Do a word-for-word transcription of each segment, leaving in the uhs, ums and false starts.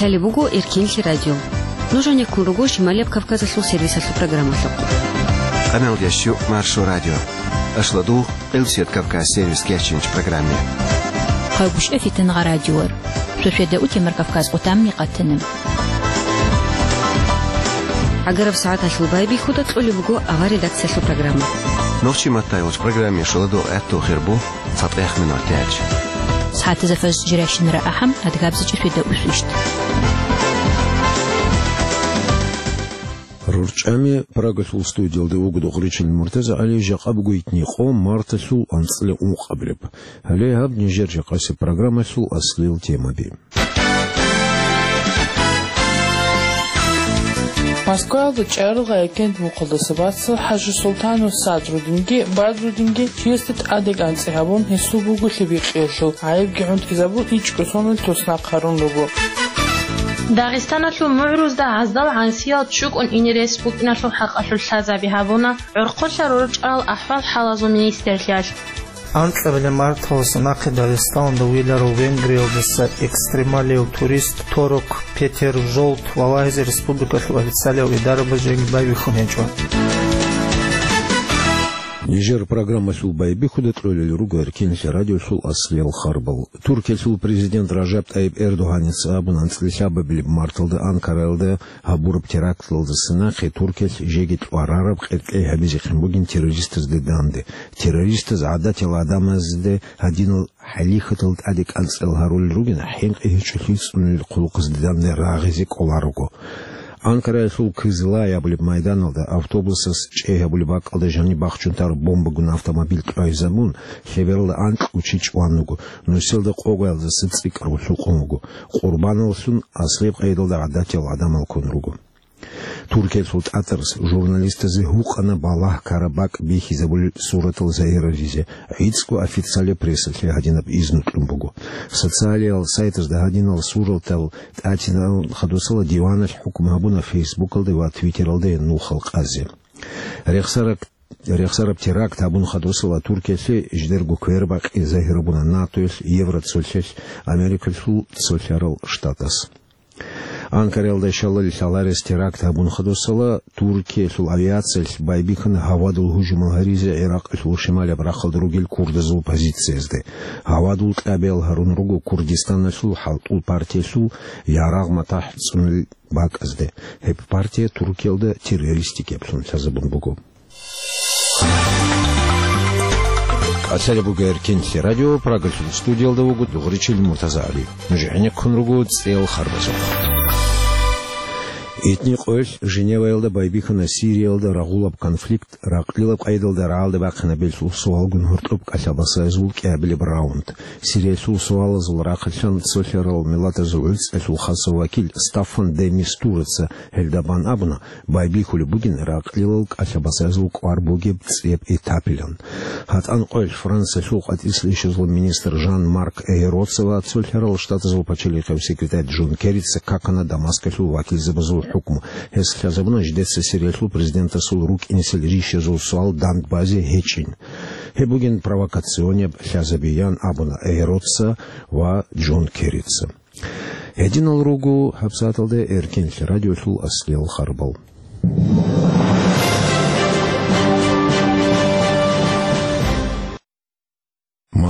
Лъалеб буго Эркинлъи радио. Нуж гьанеккун руго Шималияб Кавказалъул сервисалъул программалъухъ. Къамел ящу Маршо радио. Ашладу Къилсият Кавказ сервис кечинч программе. Хъайгъушев Фитангъа радиор. Шошеда утемар Кавказ къутамни къатана. Агараб сагӀаталъул байбихьуда кьолеб буго авар редакциялъул программа. Нохчи маттайолч программе шоладу гӀатту хирбу. ЦатӀех минутач. СагӀатазда фаз жирашинра ахӀам, адгабзичӀеб фида усвищ. РорчӀами Прагалъул студиялда вуго Дугъричил МуртазагӀали, жакъа буго итни къо марталъул анцӀила ункъабилеб. Гьале гьаб нижер жакъасеб программалъул аслил темаби. Москваялда чӀарал гъайикент мухъалдаса бацал ХӀажи Султанов Садрудинги Бадрудинги чиясде тӀадекӀанцӀи гьабун, гьесул бугулъи бикъиялъул гӀайибги гӀунтӀизабун, ичӀго соналъ туснахъ гьарун руго. Дагъистаналъул мугӀрузда гӀаздал гӀансиял чӀукӀун ине рес букӀиналъул хӀакъалъулъ лъазаби гьабуна гӀорхъолъа рорчӀарал ахӀвал-хӀалазул министрлъиялъ. Анкьабилеб марталъуса нахъе Дагъистаналда виларав Венгриялдаса экстремалияв турист Торок Петер Жолт валагьизе республикалъул официалиял идарабаз жеги байбихьун гьечӀо. Нижер программалъул байбихьуда кьолел руго Эркинлъи радиолъул аслиял харбал. Туркиялъул президент Ражаб ТӀайиб Эрдогьаница абун, анцӀила лъабабилеб марталда Анкараялда гьабураб теракталдаса нахъе Туркиялъ жеги тӀварараб къеркьей гьабизехъин бугин террористазде данде. Террористаз гӀадатиял гӀадамазде гьадинал хӀалихьатал тӀаде кӀанцӀал гьарулел ругин, хӀинкъи гьечӀолъи цӀунулел хъулухъазде данде рагъизе кӀоларого. Анкараялъул Кызлай абулеб майданалда автобусас чӀей гьабулеб бакӀалда жаниб бахчун тараб бомбагун автомобиль кьвайзабун, лъебералда анкьго чи чӀван вуго, нусиялда къоялдаса цӀикӀкӀараб лъукъун вуго. Къурбаналлъун аслияб къайдалда гӀадатиял гӀадамал ккун руго. Туркиялъул тӀатарас журналистазе гьукъана балагь ккараб бакӀ бихьизабулел суратал загьирлъизе, гӀицӀго официалияб прессалъе гьадинаб изну кьун буго. Социалиял сайтазда гьадинал суратал тӀатинабун хадусала диваналъ хӀукму гьабуна Фейсбукалда ва Твиттералда нухал къазе. Рехсараб, рехсараб теракт гьабун хадусала Туркиялъе жидерго квербакъи загьир буна НАТОялъ, Евроцолъалъ, Америкалъул цолъарал штатас. Анкараялда щалал лъаларес теракт гьабун хадусала, Туркиялъул авиациялъ байбихьана гьавадул гьужумал гьаризе ГӀиракъалъул шималаб рахъалда ругел курдазул позициязде. Гьавадул кьабиял гьарун руго Курдистаналъул хӀалтӀул партиялъул ярагъ матахӀ цӀунулел бакӀазде. Гьеб партия Туркиялда террористикаблъун лъазабун буго. Лъалеб буго Эркинлъи радио, Прагалъул студиялда вуго Дугъричил МуртазагӀали. Нуж гӀенеккун руго цӀел харбазухъ. Итни къоялъ Женеваялда байбихьана Сириялда рагъулаб конфликт ракълилаб къайдалда рагӀалде бахъинабилъул суалгун гьоркьоб кӀалъабасаязул кӀиабилеб раунд. Сириялъул суалазул рахъалъан цолъарал миллатазул гӀуцӀиялъул хасав вакил Стаффан де Мистураца гьелда бан абуна, байбихьулеб бугин ракълилал кӀалъабасаязул кӀвар бугеб цӀеб этапилан. ГьатӀан къоялъ Франциялъул къватӀислъи ишазул министр Жан-Марк Эйроца ва Цолъарал Штатазул пачалихъев секретарь Джон Керрица какана Дамаскалъул вакилзабазул хӀукму. Гьес лъазабуна жидеца Сириялъул президентасул рукӀинесел рищазул суал дандбазе гьечӀин. Гьеб бугин провокационеб лъазабиян абуна Эйроца ва Джон Керрица. Гьединал руго гьабсагӀаталда Эркинлъи радиолъул аслиял харбал.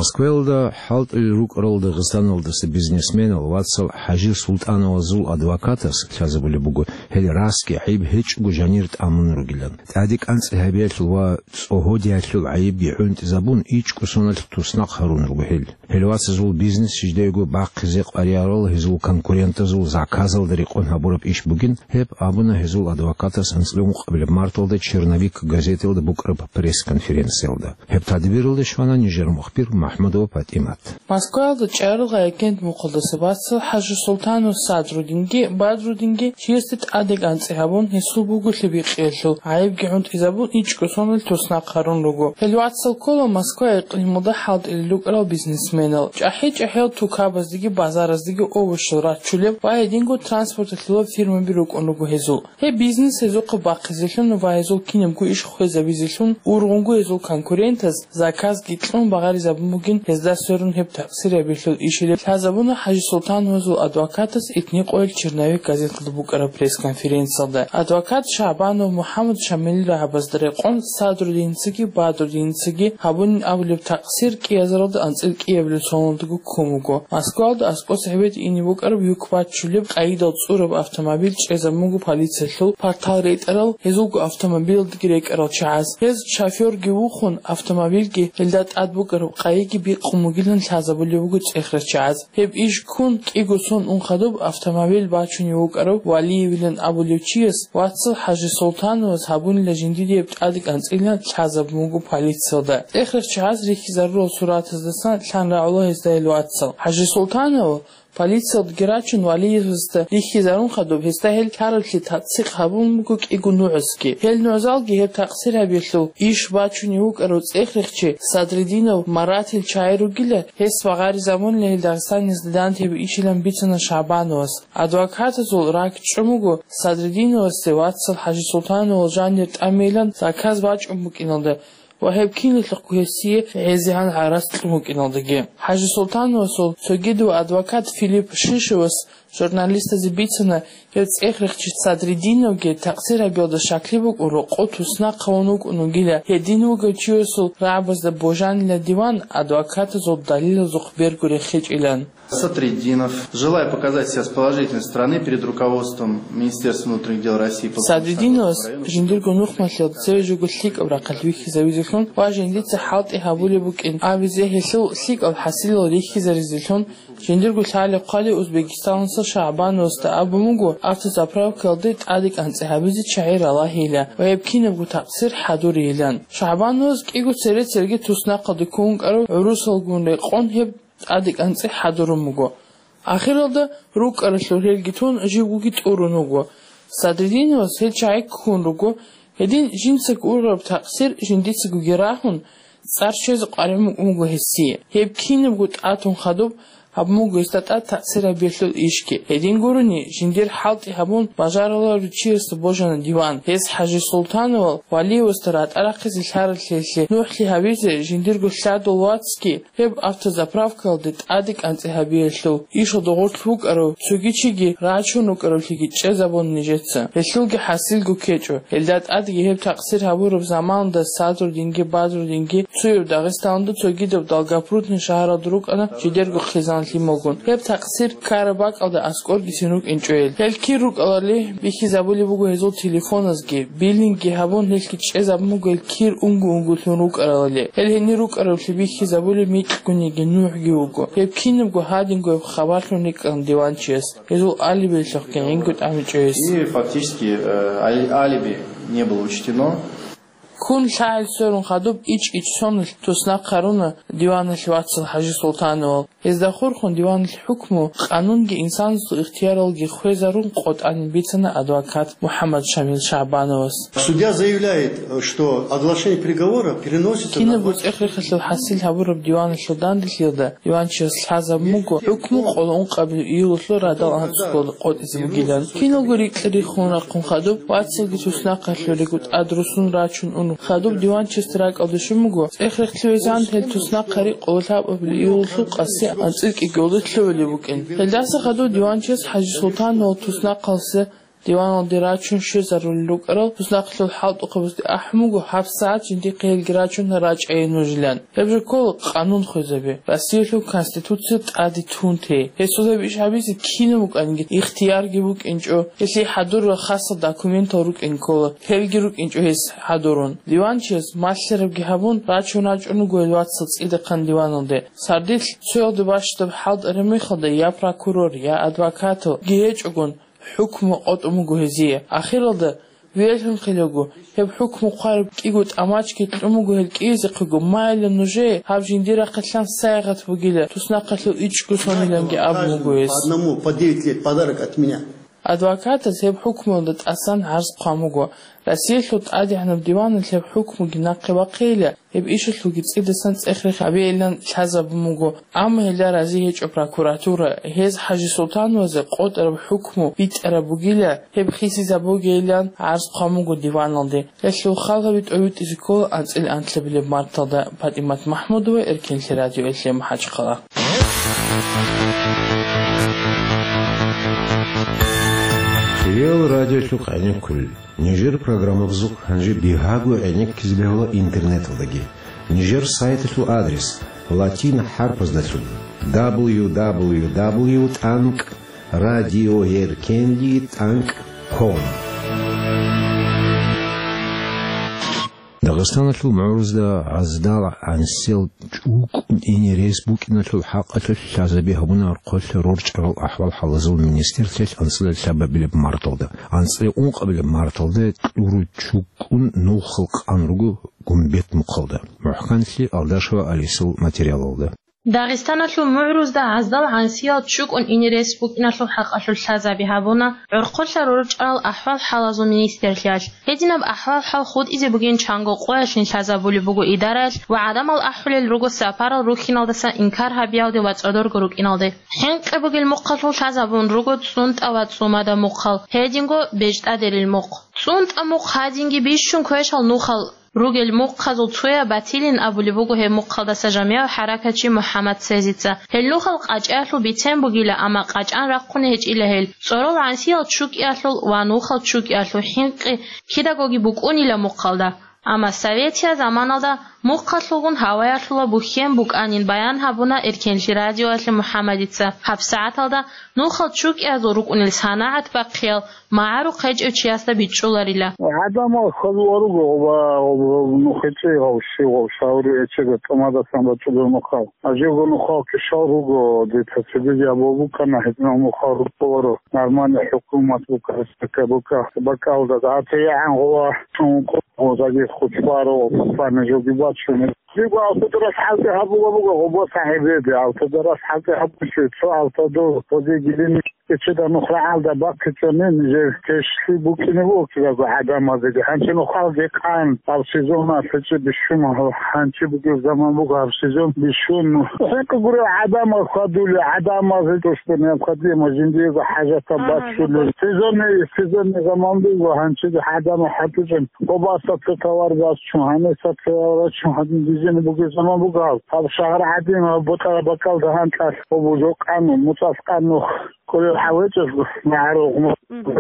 Москваялда хӀалтӀулел рукӀарал Дагъистаналдаса бизнесменал вацал ХӀажи Султановазул адвокатас лъазабулеб буго, гьел расги гӀайиб гьечӀого жанир тӀамун ругилан. ТӀаде кӀанцӀи гьабиялъул ва цӀогьодиялъул гӀайибги гӀунтӀизабун, ичӀго соналъ туснахъ гьарун руго гьел. Гьел вацазул бизнес жидеего бахъизе къваригӀарал гьезул конкурентазул заказалда рекъон гьабураб иш бугин, гьеб абуна гьезул адвокатас анцӀила ункъабилеб марталда «Черновик» газеталда букӀараб пресс-конференциялда. Гьеб тадбиралда щвана нижер мухбир МахӀмудова ПатӀимат. Москваялда чӀарал гъайикент мухъалдаса бацал ХӀажи Султанов Садрудинги Бадрудинги чиясде тӀадекӀанцӀи гьабун, гьесул бугулъи бикъиялъул гӀайибги гӀунтӀизабун, ичӀго соналъ туснахъ гьарун руго. Гьел вацал ккола Москва икълималда хӀалтӀулел рукӀарал бизнесменал. ЧӀахӀи-чӀахӀиял тукабаздеги базараздеги овощал рачулеб ва гьединго транспорталъулаб фирмаби рукӀун руго гьезул. Гьеб бизнес гьезухъе бахъизелъун ва гьезул кинабго иш хвезабизелъун, ургъунго гьезул конкурентаз заказги кьун багъаризабун буго. гин, гьезда сверун гьеб такъсир гьабиялъул ишилеб лъазабуна ХӀажисултановасул адвокатас итни къоялъ «Черновик» газеталда букӀараб пресс-конференциялда. Адвокат ШагӀбанов МухӀаммад Шамилил рагӀабазда рекъон Садрудиницаги Бадрудиницаги гьабунин абулеб такъсир кӀиазаралда анцӀил кӀиабилеб соналдаго ккун буго. Москваялда аскӀоса гьебеде ине букӀараб юк баччулеб къайидал цӀураб автомобиль чӀезабун буго полициялъул партал ретӀарал, гьезулго автомобилалдаги рекӀарал чагӀаз. Гьез шофёрги вухун, автомобильги, гьелда тӀад букӀараб къайиги бикъун бугилан лъазабулеб буго цӀехрачагӀаз. Гьеб иш ккун кӀиго сон ун хадуб автомобиль бачунев вукӀарав Валиевилан абулев чияс вацал ХӀажисултановас гьабунила жиндие гьеб тӀадекӀанцӀилан лъазабун буго полициялда. ЦӀехрачагӀаз рихьизарурал суратаздасан лъан рагӀула гьезда гьел вацал. ХӀажисултанов полициялдаги рачун, Валиевасда рихьизарун хадуб, гьесда гьел лъараблъи тасдикъ гьабун буго кӀиго нугӀзги. Гьел нугӀзалги гьеб такъсир гьабиялъул иш бачунев вукӀарав цӀехрехчи Садридинов Маратил чагӀи ругила, гьес ва гъари замунила гьел Дагъистаниялда дандчӀвай ишилан бицана ШагӀбановас. Адвокатазул ракӀ чӀун буго Садридиновасде вацал ХӀажисултановал жанир тӀамейилан заказ бачӀун букӀиналда ва гьеб киналъухъго гьесие гӀезегӀан гӀарац кьун букӀиналдаги. ХӀажисултановасул цогидав адвокат Филипп Шишевас журналистазе бицана, гьев цӀехрехчи Садридиновги такъсир гьабиялда щаклъи букӀун рокъов туснахъ гьавун вукӀун вугила, гьедин вугев чиясул рагӀабазда божанила диван адвокатазул далилазухъ берго рехичӀилан. Садридинов, желая показать себя с положительной стороны перед руководством Министерства внутренних дел России, Подмосковья Садридиновас района, жиндирго нухмалъиялда цеве жого лъикӀаб рахъалъ вихьизавизелъун ва жиндица хӀалтӀи гьабулеб букӀин абизе, гьелъул лъикӀал хӀасилал рихьизаризелъун жиндирго лъалеб хъвалев Узбекистаналдаса ШагӀбановасда абун буго автозаправкаялде тӀадекӀанцӀи гьабизе чагӀи ралагьейилан ва гьеб кинабго такъсир хӀадурейилан. ШагӀбановас кӀиго цере церги туснахъалде ккун вукӀарав гӀурусалгун рекъон гьеб тӀадекӀанцӀи хӀадурун буго. Ахиралда рукӀаралъур гьелги тун, живгоги тӀурун вуго. Садридиновас гьел чагӀи ккун руго. Гьедин жинцаго ургъараб такъсир жиндицагоги рагьун, цӀар щвезе къваригӀун букӀун буго гьесие. Гьеб кинабго тӀатун хадуб гьабун буго гьесда тӀад такъсир гьабиялъул ишги. Гьедин гурони, жиндир хӀалтӀи гьабун бажаруларев чиясда божана диван. Гьес ХӀажисултановал Валиевасда ратӀа рахъизе лъараблъиялъе нухӀлъи гьабизе жиндирго лъадул вацги гьеб автозаправкаялде тӀадекӀанцӀи гьабиялъул ишалда гъорлъ вукӀарав цоги чиги рачун рукӀаравлъиги чӀезабуна нижеца. Гьелъулги хӀасилго ккечӀо. Гьелда тӀадги гьеб такъсир гьабураб заманалда Садрудинги Бадрудинги цояб Дагъистаналда, цогидаб Долгопрудный шагьаралда рукӀана жидерго хъизан лъималгун. Гьеб такъсир ккараб бакӀалда аскӀоргицин рукӀинчӀо гьел. Гьел кир рукӀарали бихьизабулеб буго гьезул телефоназги, биллингги гьабун, гьелъги чӀезабун буго гьел кир унго-унгулъун рукӀарали. Гьел гьенир рукӀараблъи бихьизабулеб микьгун йиги нугӀги вуго. Гьеб кинабго гьадинго гьеб хабарлъун рикӀкӀана диванчияс. Гьезул алибилъухъги гӀинго тӀамичӀо гьес. И фактически, э, али-, алиби не было учтено. Ккун лъагӀел сверун хадуб ичӀ-ичӀ соналъ туснахъ гьаруна диваналъ вацал ХӀажисултановал. Гьезда хурхун диваналъ хӀукму, къанунги инсанасул ихтияралги хвезарун къотӀанин бицана адвокат МухӀаммад Шамил ШагӀбановас. Судья заявляет, что оглашение приговора переносится на Кинабго двадцать цӀех-рехалъул хӀасил гьабураб диваналъул данделъиялда диванчияс лъазабун буго хӀукму къоло ункъабилеб июлалъул радал анцӀго къотӀизе бугилан. Киналго рикьа-риххун рахъун хадуб, вацалги туснахъалъуриго тӀад русун рачун ун хадуб, диванчиясда ракӀалде щун буго, цӀех-рехлъи везегӀан гьел туснахъари къоло лъабабилеб июлалъул къаси анцӀил кӀикӀиялда лъугӀулеб букӀин. Гьелдаса хадуб диванчияс ХӀажисултановал туснахъалъе диваналде рачун щвезарулел рукӀарал туснахъалъул хӀалтӀухъабазде ахӀун буго гьабсагӀат жиндихъе гьелги рачун рачӀайин нужилан. Гьеб жо ккола къанун хвезаби, Россиялъул Конституция тӀаде тун те. Гьесул гьеб иш гьабизе кинаб букӀаниги ихтиярги букӀинчӀо, гьелъие хӀадурал хасал документал рукӀин ккола, гьелги рукӀинчӀо гьес хӀадурун. Диванчияс малъарабги гьабун, рачун рачӀун руго гьел вацал цӀидахъан диваналде. Сардилъ цоялде бащдаб хӀалтӀараб мехалда я прокурор, я адвокаталги гьечӀогун, хӀукму къотӀун буго гьезие. Ахиралда, вегӀлъунхъилаго, гьеб хӀукму хъвараб кӀиго тӀамачги кьун буго гьел кӀиязехъего, майилан нужее гьаб жиндирахъе лъан сайигъат бугила, туснахъалъул ичӀго сониланги абун буго гьес. По одному по девять лет подарок от меня. Адвокатаз гьеб хӀукмуялда тӀасан гӀарз хъван буго. Россиялъул ТӀадегӀанаб диваналъ гьеб хӀукмуги нахъе бахъейила, гьеб ишалъулги цӀидасан цӀех-рех гьабейилан лъазабун буго. Амма гьелда рази гьечӀо прокуратура. Гьез ХӀажи Султановазе къотӀараб хӀукму битӀараб бугила, гьеб хисизабугейилан гӀарз хъван буго диваналде. Гьелъул хал гьаби тӀобитӀизе ккола анцӀила анлъабилеб марталда. ПатӀимат МахӀмудова, Эркенлъи радиоялъе МахӀачхъала. Кирил радиолъухъ гӀенеккулел. Нижер программабазухъ гьанже бигьаго гӀенеккизе бегьула интернеталдаги. Нижер сайталъул адрес: латин хӀарпаздалъун: дабл ю дабл ю дабл ю тӀанкӀ радиоэркенлъи тӀанкӀ ком. Дагъистаналъул мугӀрузда гӀаздал гӀансиял чӀукӀун ине рес букӀиналъул хӀакъалъулъ лъазаби гьабуна гӀорхъолъа рорчӀарал ахӀвал-хӀалазул министрлъиялъ анцӀила лъабабилеб марталда. АнцӀила ункъабилеб марталда кьуру чукӀун нухал къан руго Гумбет мухъалда. МухӀканлъи Алдашева Алисал материалалда. Дагъистаналъул мугӀрузда гӀаздал гӀансиял чукӀун ине рес букӀиналъул хӀакъалъулъ лъазаби гьабуна гӀорхъолъа рорчӀарал ахӀвал-хӀалазул министрлъиялъ. Гьединаб ахӀвал-хӀал хутӀизе бугин чанго къоялъ лъазабулеб буго идараялъ ва гӀадамал ахӀулел руго сапарал рухьиналдаса инкар гьабиялде ва цӀодорго рукӀиналде. ХӀинкъи бугел мухъалъул лъазабун руго ЦӀунтӀа ва ЦӀумада мухъал, гьединго БежтӀадерил мухъ. ЦӀунтӀа мухъ гьадинги бищун квешал нухал ругел мухъазул цояб батилин абулеб буго гьеб мухъалдаса жамигӀав хӀаракатчи МухӀаммад Сезица. Гьел нухал къачӀаялъул бицен бугила, амма къачӀан рахъуни гьечӀила гьел. ЦӀорол гӀансиял чукӀиялъул ва нухал чукӀиялъул хӀинкъи кидагоги букӀунила мухъалда. Амма советиял заманалда мухъалъулгун гьаваялъула бухьен букӀанин баян гьабуна Эркенлъи радиоялъе МухӀаммадица. ГьабсагӀаталда нухал чукӀиязул рукӀунел санагӀат бахъиял магӀарухъ гьечӀев чиясда бичӀчӀуларила. ГӀадамал хьвадулел руго гъоба, гъоб-, гъоб нухецӀи гъав щив гъав шаври гьечӀеб тӀамадасан бачӀулел нухал. Гьажего нухал кишал руго, дица цебеги абул букӀана, гьединал нухал рукӀуларо, нормальный хӀукумат бука, республика бука, бакӀалда дагьатегӀан гъова чун къозаги хучбаро, пасани жоги бачуни. Жиго автодорас хӀалте гьабула буго гъоба сахӀибеде, автодорас хӀалте гьабучи, цо автодор, гъозе гилини. Эчеда нух рагӀалда бахъичӀони, нижер тешлъи букӀине буго кидаго гӀадамазеги. Гьанчи нухалги къан, гьаб сезоналъ гьечӀеб бищун, гьанчи бугеб заман буго гьаб сезон бищун. ХӀинкъи гурел гӀадамал хьвадулел, гӀадамазе тӀощтӀун необходимо, жиндиего хӀажатаб бачулел. Сезонный, сезонный заман буго, гьанчи гӀадамал хӀатӀичӀеб. Къобаса цо товар бачун, гьаниса товар бачун, гьадин дизине бугеб заман буго гьаб. Гьаб шагьар гӀадин, гьаб бутӀараб бакӀалда гьанкӀалъ гьаб жо къану, муцӀалъ къану. Кколел гьавечӀелъ магӀарул гъумал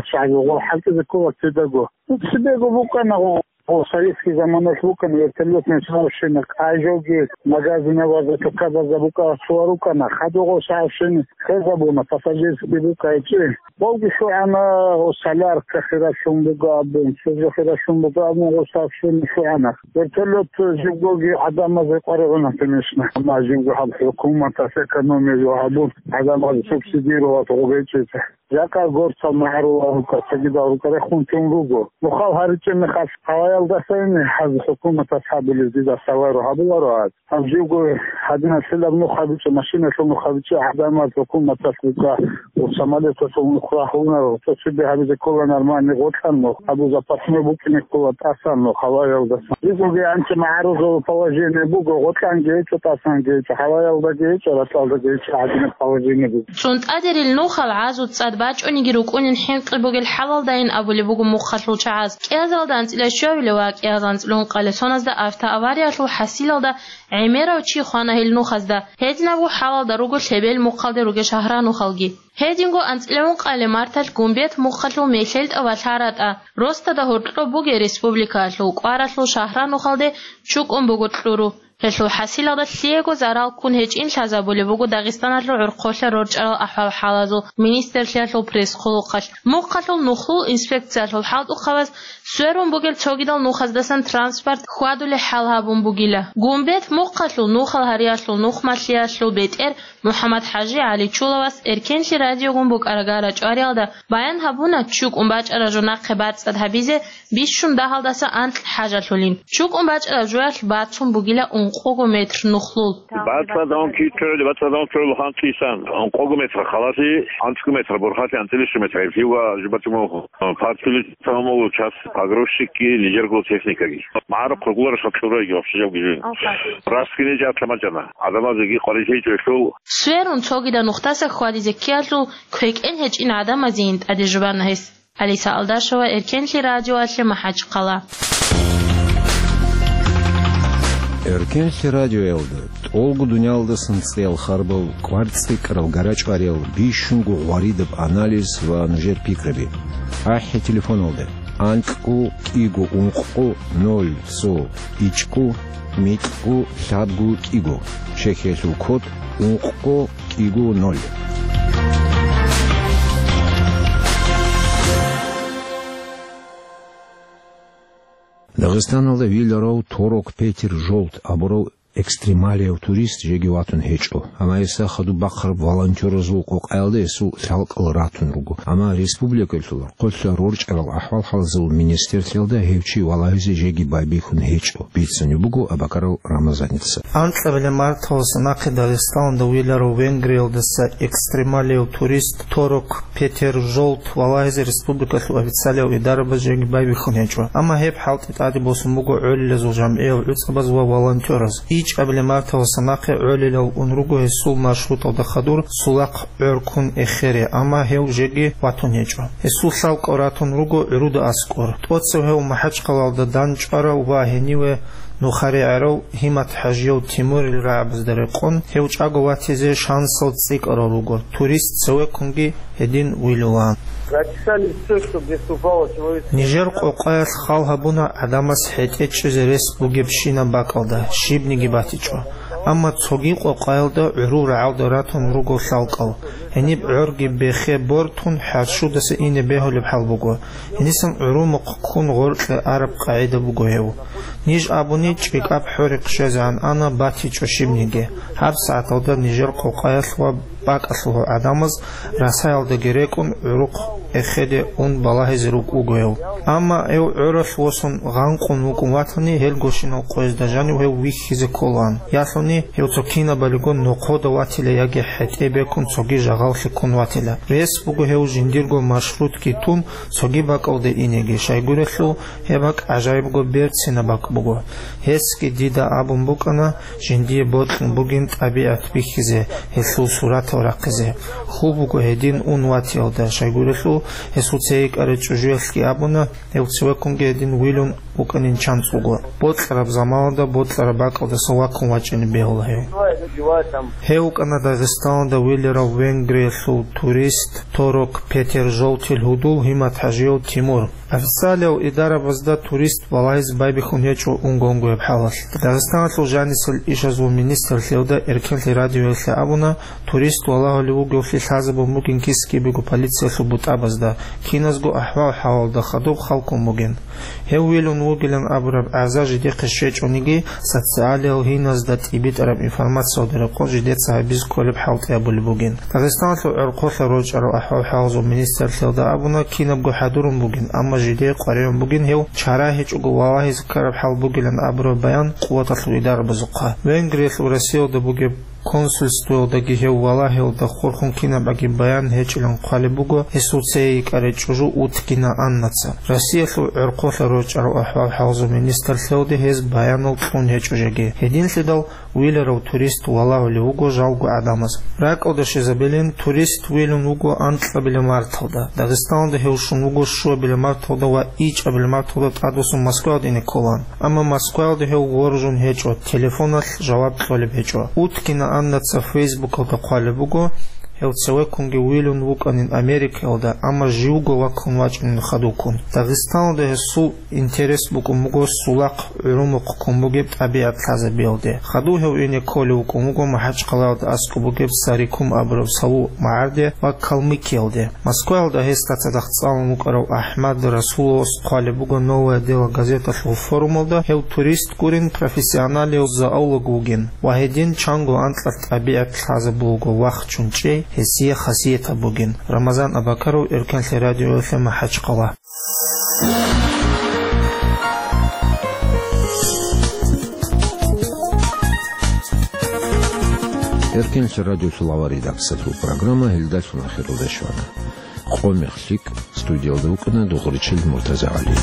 чагӀи гъол хӀалтӀизе ккола кидаго. Цебего букӀана гъо, гъо советский заманалъ букӀана вертолётный сообщение, къайжоги магазинабазда, тукабазда букӀа цо рукӀана. Хадуго сообщение хвезабуна, пассажирский букӀайчӀи. Гъовги лъугӀана, гъо солярка хиралъун буго абун, цо жо хиралъун буго абун, гъо сообщение лъугӀана. Вертолёт живгоги гӀадамазе къваригӀуна, конечно. Амма живго гьаб хӀукуматас экономия гьабун, гӀадамаз субсидировать гъо гьечӀезе. Жакъа горцал магӀарулал рукӀа, цогидал рукӀа рехун чӀун руго. Нухал гьаричӀеб мехалъ, гьаваялдасайни гьаз хӀукуматас гьабулеб дида саваро гьабуларо гьаз. Гьаб живго гьадиналъилаб нух гьабичӀеб, машиналъул нух гьабичӀеб гӀадамаз хӀукуматас рукӀа, ва самолеталъул нух рагьунаро, цо цебе гьабизе ккола нормальный гъоркьан нух, абу запасной букӀине ккола тӀасан нух гьаваялдасан. Живгоги анцӀи магӀарулал положение буго, гъоркьанги гьечӀо, тӀасанги гьечӀо, гьаваялдаги гьечӀо, ракьалдаги гьечӀо, гьадинаб положение буго. ЦӀунтӀадерил нухал гӀазу цӀад бачӀониги рукӀунин хӀинкъи бугел хӀалалдайин абулеб буго мухъалъул чагӀаз. КӀиазалда анцӀила щуабилеб ва кӀиазда анцӀила ункъабилеб соназда автоавариялъул хӀасилалда гӀемерав чи хвана гьел нухазда. Гьединабго хӀалалда руго лъебел мухъалде ругел шагьранухалги. Гьединго анцӀила ункъабилеб марталъ Гумбет мухъалъул МехьелтӀа ва ЛъаратӀа, росдада гьоркьоб бугел республикаялъул кӀваралъул шагьранухалде чукӀун буго кьуру. Гьелъул хӀасилалда лъиего зарал ккун гьечӀин лъазабулеб буго Дагъистаналъул гӀорхъолъа рорчӀарал ахӀвал-хӀалазул министрлъиялъул пресс-хъулухъалъ. Мухъалъул нухлул инспекциялъул хӀалтӀухъабаз сверун бугел цогидал нухаздасан транспорт хьвадулеб хӀал гьабун бугила. Гумбет мухъалъул нухал гьариялъул нухмалъиялъул бетӀер МухӀаммад-ХӀажи ГӀаличуловас Эркенлъи радиогун букӀарагара чӀвариялда баян гьабуна, чукӀун бачӀараб жо нахъе бацӀцӀад гьабизе бищун дагьалдаса анкь хӀажалъулин. ЧукӀун бачӀараб жоялъ бацун бугила ун къого метр нухлул. Бацадавун китули, бацадавун чули хан кисан, къого метр халаси, анцӀго метр бурхати, анцӀилищ метр гьеб хива жибатиму партили тамамулу час погрузчикги, нижергул техникаги. МагӀарухъ ругулара шалчӀураги вообще жавги жин. Раскине жат ламачӀана. Адамазеги къварилъи чӀелъул. Сверун цогида нухтаса хьвадизе ккеялъул квекӀен гьечӀин гӀадамазейин тӀаде жубана гьес. Алиса Алдашева, Эркенлъи радиоялъе, МахӀачхъала. Эркенлъи радиоялда тӀолго дуниялдасан цӀиял харбал, кӀвар цӀикӀкӀарал, гарачӀвариял, бищунго гъваридаб анализ ва нужер пикраби. АхӀи телефоналда: анкьго кӀиго ункъго ноль цо ичӀго микьго лъабго кӀиго, чехиялъул код ункъго кӀиго ноль. Дагъистаналда виларав Торок Петер Жолт абурав экстремалияв турист жеги ватун гьечӀо. Амма гьесда хадуб бахъараб волонтеразул къокъаялда гьесул лъалкӀал ратун руго. Амма республикалъул гӀорхъолъа рорчӀарал ахӀвал-хӀалзул министрлъиялда гьев чи валагьизе жеги байбихьун гьечӀо, бицунеб буго Абакаров Рамазаница. Анкьабилеб марталъуса нахъе Дагъистаналда виларав Венгриялдаса экстремалияв турист Торок Петер Жолт валагьизе республикалъул официалияв идарабаз жеги байбихьун гьечӀо. Амма гьеб хӀалтӀи тӀаде босун буго гӀолилазул жамгӀиял гӀуцӀабаз ва волонтераз. ИчӀабилеб марталъуса нахъе гӀолилал ун руго гьесул маршруталда хадур Сулахъ гӀоркун эхере, амма гьев жеги ватун гьечӀо. Гьесул лъалкӀал ратун руго гӀуруда аскӀор. ТӀоцев гьев МахӀачхъалалда дандчӀварав ва гьениве нухарегӀерав ГьиматхӀажияв Тимурил рагӀабазда рекъон, гьев чӀаго ватизе шансал цӀикӀкӀарал руго, турист цевеккунги гьедин вилулаан. Записали всё, что где упало человеческое. Нижер къокъаялъ хал гьабуна гӀадамас хӀетӀе чӀезе рес бугебщинаб бакӀалда, щибниги батичӀо. Амма цоги къокъаялда гӀурул рагӀалда ратун руго лъалкӀал. Гьениб гӀорги бехе бортун хӀарщудаса ине бегьулеб хӀал буго. Гьенисан гӀурумухъ ккун гъоркье араб къагӀида буго гьев. Ниж абуни, чӀикӀаб хӀорихъ щвезегӀан ана, батичӀо щибниги. ГьабсагӀаталда нижер къокъаялъ ва бакӀалъулго гӀадамаз расаялдаги рекӀун гӀурухъ эхеде ун балагьизе рукӀуго гьев. Амма гьев гӀоралъ восун гъанкъун вукӀун ватани, гьелгощинал къоязда жанив гьев вихьизе кколаан. Ялъуни гьев цо кинабалиго нохъода ватила яги хӀетӀе бекун цоги жагъаллъи ккун ватила. Рес буго гьев жиндирго маршрутги тун, цоги бакӀалде инеги, щайгурелъул гьеб бакӀ гӀажаибго берцинаб бакӀ буго. Гьесги дида абун букӀана жиндие бокьун бугин тӀабигӀат бихьизе, гьелъул суратал рахъизе. Хьул буго гьедин ун ватиялда, щайгурелъул гьесул цей йикӀарай чӀужуялъги абуна, гьев цевеккунги гьедин вилун вукӀанин чанцӀуго. Бокьараб заманалда бокьараб бакӀалдаса ваккун вачӀине бегьула гьев. Гьев вукӀана Дагъистаналда виларав Венгриялъул турист Торок Петер Жолтил гьудул ГьиматхӀажияв Тимур. Официалияв идарабазда турист балагьизе байбихьун гьечӀо унгонгояб хӀалалъ. Дагъистаналъул жанисел ишазул министрлъиялда Эркенлъи радиоялъе абуна, турист валагьулев вугевлъи лъазабун бугин кис-кибего полициялъул бутӀабазда, киназго ахӀвал-хӀалалда хадуб халкун бугин. Гьев вилун вугилан абураб гӀаза жидехъе щвечӀониги, социалиял гьиназда тӀибитӀараб информациялда рекъон жидеца гьабизе кколеб хӀалтӀи гьабулеб бугин. Дагъистаналъул гӀорхъолъа рорчӀарал ахӀвал-хӀалзул министрлъиялда абуна, кинабго хӀадурун бугин, амма жидее къваригӀун бугин гьев чара гьечӀого валагьизе ккараб хӀал бугилан абураб баян къуваталъул идарабазухъа. Венгриялъул Россиялда бугеб консульствоялдаги гьев валагьиялда хурхун кинабгӀаги баян гьечӀилан хъвалеб буго гьесул цей йикӀарай чӀужу Уткина Аннаца. Россиялъул гӀорхъолъа рорчӀарал ахӀвал-хӀалзул министрлъиялде гьез баянал кьун гьечӀо жеги. Гьединлъидал виларав турист валагьулев вуго жалго гӀадамаз. РакӀалде щвезабилин, турист вилун вуго анкьабилеб марталда. Дагъистаналда гьев щун вуго щуабилеб марталда ва ичӀабилеб марталда тӀадвуссун Москваялда ине кколаан. Амма Москваялда гьев воржун гьечӀо, телефоналъ жаваб кьолеб гьечӀо. Уткина Аннаца Фейсбукалда хъвалеб буго, гьев цевеккунги вилун вукӀанин Америкаялда, амма живго ваккун вачӀунин хадуккун. Дагъистаналда гьесул интерес букӀун буго Сулахъ гӀурумухъ ккун бугеб тӀабигӀат лъазабиялде. Хадув гьев ине кколев вукӀун вуго МахӀачхъалаялда аскӀоб бугеб Сарикум абураб саву магӀарде ва Калмыкиялде. Москваялда гьесда цадахъ цӀалун вукӀарав АхӀмад Расуловас хъвалеб буго «Новое дело» газеталъул форумалда, гьев турист гурин, профессионалияв зоолог вугин ва гьедин чанго анкьалъ тӀабигӀат лъазабулго вахчун чӀей гьесие хасиятаб бугин. Рамазан Абакаров, Эркенлъи радиоялъе, МахӀачхъала. Эркенлъи радиолъул авария редакциялъул программа гьелдалъун ахиралде щвана. Къо-мех лъикӀ, студиялда вукӀана Дугъричил МуртазагӀали.